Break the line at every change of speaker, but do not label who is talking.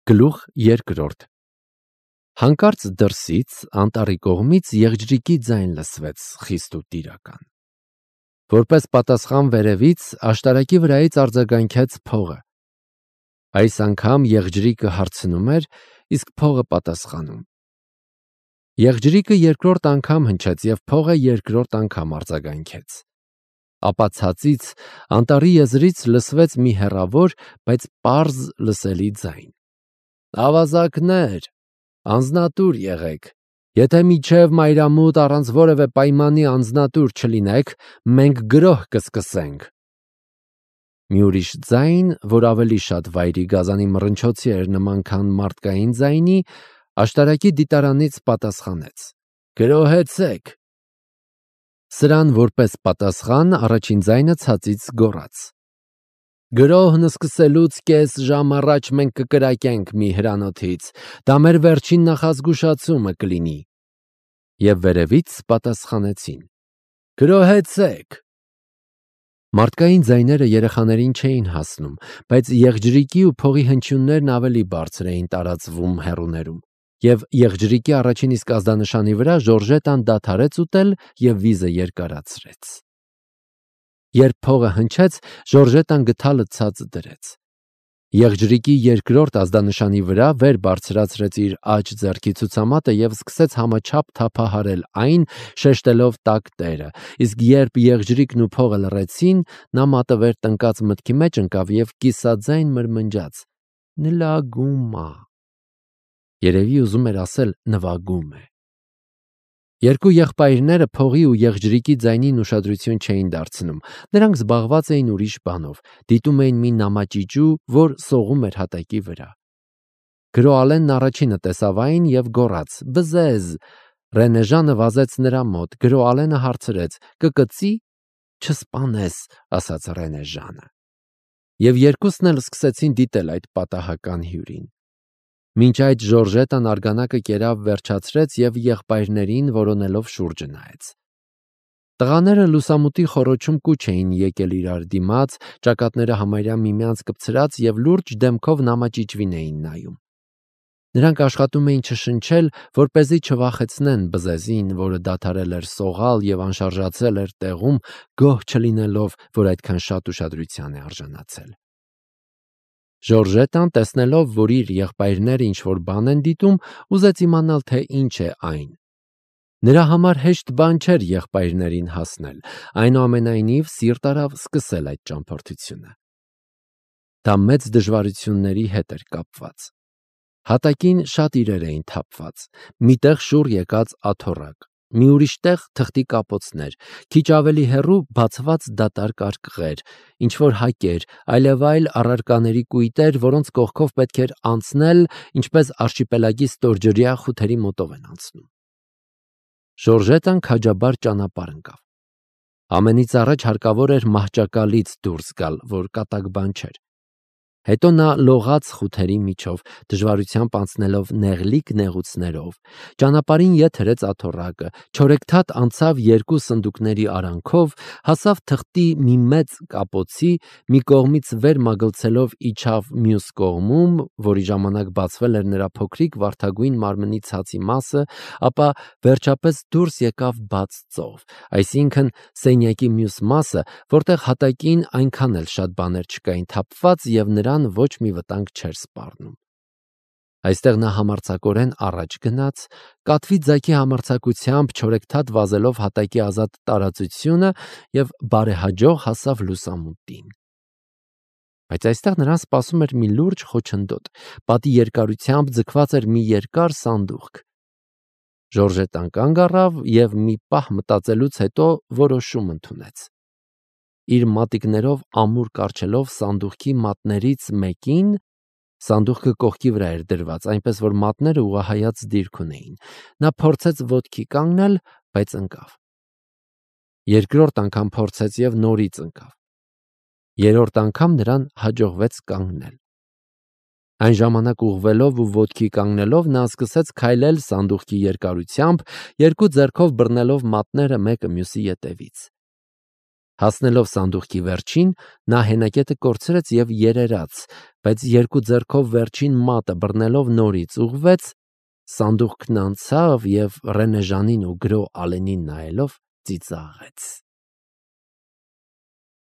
Գլուխ երկրորդ Հանկարծ դրսից անտառի կողմից եղջրիկի ձայն լսվեց խիստ ու տիրական։ Որպես պատասխան վերևից աշտարակի վրայից արձագանքեց փողը։ Այս անգամ եղջրիկը հարցնում էր, իսկ փողը պատասխանում։ Եղջրիկը երկրորդ անգամ հնչեց և փողը երկրորդ անգամ արձագանքեց։ Ապա ցածից անտառի եզրից լսվեց մի հեռավոր, բայց պարզ լսելի ձայն. «Ավազակներ, անձնատուր եղեք, եթե մինչև մայրամուտ առանց որևէ պայմանի անձնատուր չլինեք, մենք գրոհ կսկսենք»։ Մի ուրիշ ձայն, որ ավելի շատ վայրի գազանի մռնչոցի էր նման, քան մարդկային ձայնի, աշտարակի դիտարանից պատասխանեց. «Գրոհեցեք»։ Սրան որպես պատասխան առաջին ձայնը ցածից գոռաց. «Գրոհն սկսելուց կես ժամ առաջ մենք կկրակենք մի հրանոթից, դա մեր վերջին նախազգուշացումը կլինի»։ Եվ վերևից պատասխանեցին. «Գրոհեցեք»։ Մարդկային ձայները երեխաներին չէին հասնում, բայց եղջրիկի ու փողի հնչյուններն ավելի բարձր էին տարածվում հեռուներում, և եղջրիկի առաջին իսկ ազդանշանի վրա Ժորժետան դադարեց ուտել և վիզը երկարացրեց։ Երբ փողը հնչեց, Ժորժետան գդալը ցած դրեց։ Եղջրիկի երկրորդ ազդանշանի վրա վեր բարձրացրեց իր աջ ձեռքի ցուցամատը և սկսեց համաչափ թափահարել այն, շեշտելով տաք տերը, իսկ երբ եղջրիկն ու փողը լռեցին, նա մատը վեր տնկած մտքի մեջ ընկավ և կիսաձայն մրմնջաց. «Նլագում ա»։ Երևի ուզում էր ասել նվագում է։ Երկու եղբայրները փողի ու եղջրիկի ձայնին ուշադրություն չէին դարձնում, նրանք զբաղված էին ուրիշ բանով, դիտում էին մի նամաճիճու, որ սողում էր հատակի վրա։ Գրոալենն առաջինը տեսավ այն և գոռաց. «Բզեզ»։ Ռենեժանը վազեց նրա մոտ, Գրոալենը հարցրեց. «Կկծի»։ «Չսպանես», ասաց Ռենեժանը։ Եվ երկուսն էլ սկսեցին դիտել այդ պատահական հյուրին։ Մինչ այդ Ժորժետան արգանակը կերավ վերջացրեց և եղբայրներին որոնելով շուրջը նայեց։ Տղաները լուսամուտի խոռոչում կուչ էին եկել իրար դիմաց, ճակատները համարյա միմյանց կպցրած և լուրջ դեմքով նամաճիճվին էին նայում։ Նրանք աշխատում էին չշնչել, որպեսզի չվախեցնեն Բզեզին, որը դադարել էր սողալ և անշարժացել էր տեղում, գոհ չլինելով, որ այդքան շատ ուշադրության է արժանացել։ Ժորժետան, տեսնելով, որ իր եղբայրները ինչ-որ բան են դիտում, ուզեց իմանալ, թե ինչ է այն։ Նրա համար հեշտ բան չէր եղբայրներին հասնել, այնուամենայնիվ սիրտ արավ սկսել այդ ճամփորդությունը։ Դա մեծ դժվարությունների հետ էր կապված։ Հատակին շատ իրեր էին թափված, մի տեղ շուռ եկած աթոռակ, մի ուրիշ տեղ թղթի կապոցներ, քիչ ավելի հեռու բացված դատարկ արկղեր, ինչ-որ հակեր, այլևայլ առարկաների կույտեր, որոնց կողքով պետք էր անցնել, ինչպես արշիպելագի ստորջրյա խութերի մոտով են անցնում։ Ժորժետան քաջաբար ճանապարհ ընկավ։ Ամենից առաջ հարկավոր էր մահճակալից դուրս գալ, որ կատակ բան չէր։ Հետո նա լողաց խութերի միջով, դժվարությամբ անցնելով նեղլիկ նեղուցներով, ճանապարհին ետ հրեց աթոռակը, չորեքթաթ անցավ երկու սնդուկների արանքով, հասավ թղթի մի մեծ կապոցի, մի կողմից վեր մագլցելով իջավ մյուս կողմում, որի ժամանակ բացվել էր նրա փոքրիկ վարդագույն մարմնի ցածի մասը, ապա վերջապես դուրս եկավ բաց ծով, այսինքն սենյակի մյուս մասը, որտեղ հատակին այնքան էլ շատ բաներ չկային թափված և նրան ոչ մի վտանգ չէր սպառնում։ Այստեղ նա համարձակորեն առաջ գնաց, կատվի ձագի համարձակությամբ չորեքթաթ վազելով հատակի ազատ տարածությունը և բարեհաջող հասավ լուսամուտին։ Բայց այստեղ նրան սպասում էր մի լուրջ խոչընդոտ, պատի երկարությամբ ձգված էր մի երկար սանդուղք։ Ժորժետան կանգ առավ և մի պահ մտածելուց հետո որոշում ընդունեց։ Իր մատիկներով ամուր կառչելով սանդուղքի մատներից մեկին, սանդուղքը կողքի վրա էր դրված, այնպես որ մատները ուղղահայաց դիրք ունեին, նա փորձեց ոտքի կանգնել, բայց ընկավ։ Երկրորդ անգամ փորձեց և նորից ընկավ։ Երրորդ անգամ նրան հաջողվեց կանգնել։ Այն ժամանակ ուղղվելով ու ոտքի կանգնելով նա սկսեց քայլել սանդուղքի երկարությամբ, երկու ձեռքով բռնելով մատները մեկը մյուսի ետևից։ Հասնելով սանդուղքի վերջին, նա հենակետը կորցրեց և երերաց, բայց երկու ձեռքով վերջին մատը բռնելով նորից ուղղվեց, սանդուղքն անցավ և Ռենեժանին ու գրո Ալենին նայելով ծիծաղեց։